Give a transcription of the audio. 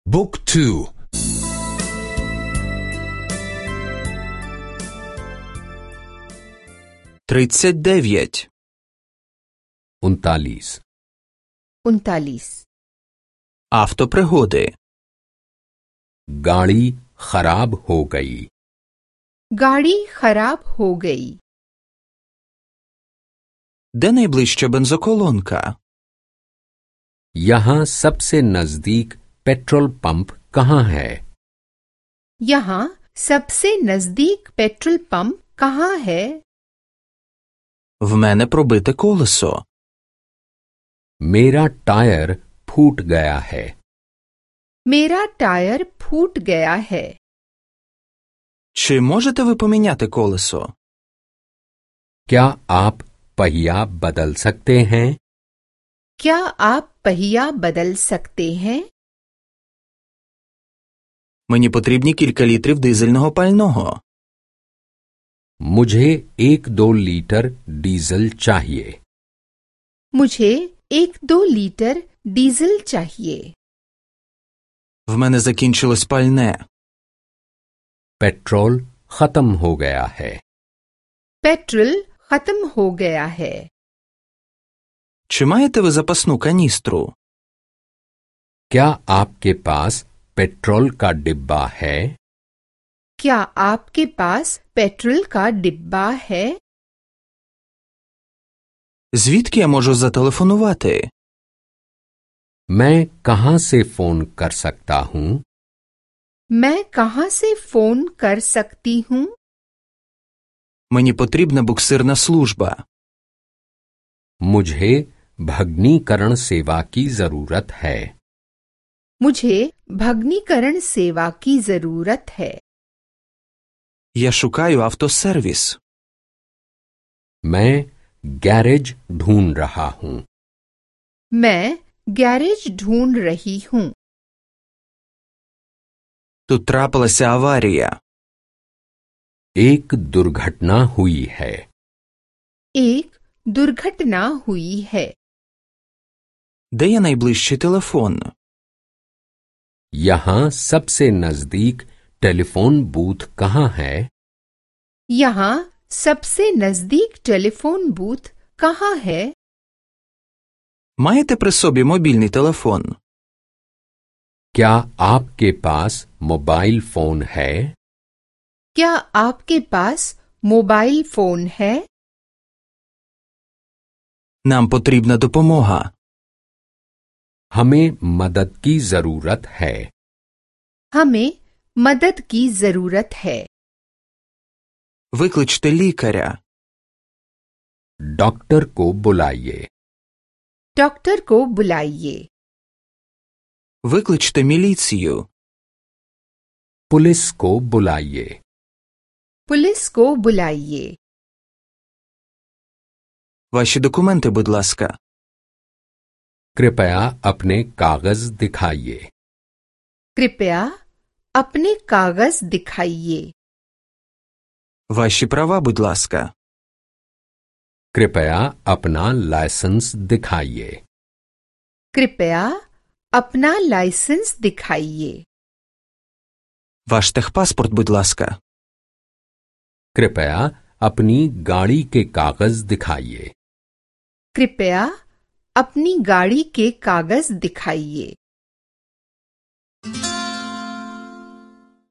Book 2. 39. 39. 39. Автопригоди. गाड़ी खराब हो गई। गाड़ी खराब हो गई। Де найближча бензоколонка? यहाँ सबसे नजदीक पेट्रोल पंप कहाँ है? यहाँ सबसे नजदीक पेट्रोल पंप कहाँ है? В мене пробите колесо. मेरा टायर फूट गया है। मेरा टायर फूट गया है। Чи можете ви поміняти колесо? क्या आप पहिया बदल सकते हैं? क्या आप पहिया बदल सकते हैं? Мені потрібні кілька літрів дизельного пального. मुझे 1-2 लीटर डीजल चाहिए। मुझे 1-2 लीटर डीजल चाहिए। В мене закінчилось пальне. पेट्रोल खत्म हो गया है। पेट्रोल खत्म हो गया है। Чи маєте ви запасну каністру? क्या आपके पास पेट्रोल का डिब्बा है? क्या आपके पास पेट्रोल का डिब्बा है? Звідки я можу зателефонувати? मैं कहाँ से फोन कर सकता हूँ? मैं कहाँ से फोन कर सकती हूँ? Мені потрібна буксирна служба. मुझे भग्नीकरण सेवा की जरूरत है। मुझे भग्नीकरण सेवा की जरूरत है। Я шукаю автосервіс. मैं गैरेज ढूंढ रहा हूँ। मैं गैरेज ढूंढ रही हूँ। Тут трапилася аварія. एक दुर्घटना हुई है। एक दुर्घटना हुई है। Де є найближчий телефон? यहाँ सबसे नजदीक टेलीफोन बूथ कहाँ है? यहाँ सबसे नजदीक टेलीफोन बूथ कहाँ है? Маєте при собі мобільний телефон? क्या आपके पास मोबाइल फोन है? क्या आपके पास मोबाइल फोन है? Нам потрібна допомога. हमें मदद की जरूरत है। हमें मदद की जरूरत है। Викличте лікаря. डॉक्टर को बुलाइए। डॉक्टर को बुलाइए। Викличте міліцію. पुलिस को बुलाइए। पुलिस को बुलाइए। Ваші документи, будь ласка. कृपया अपने कागज दिखाइए। कृपया अपने कागज दिखाइए। Ваші права, будь ласка. कृपया अपना लाइसेंस दिखाइए। कृपया अपना लाइसेंस दिखाइए। Ваш техпаспорт, будь ласка. कृपया अपनी गाड़ी के कागज दिखाइए। कृपया अपनी गाड़ी के कागज दिखाइए।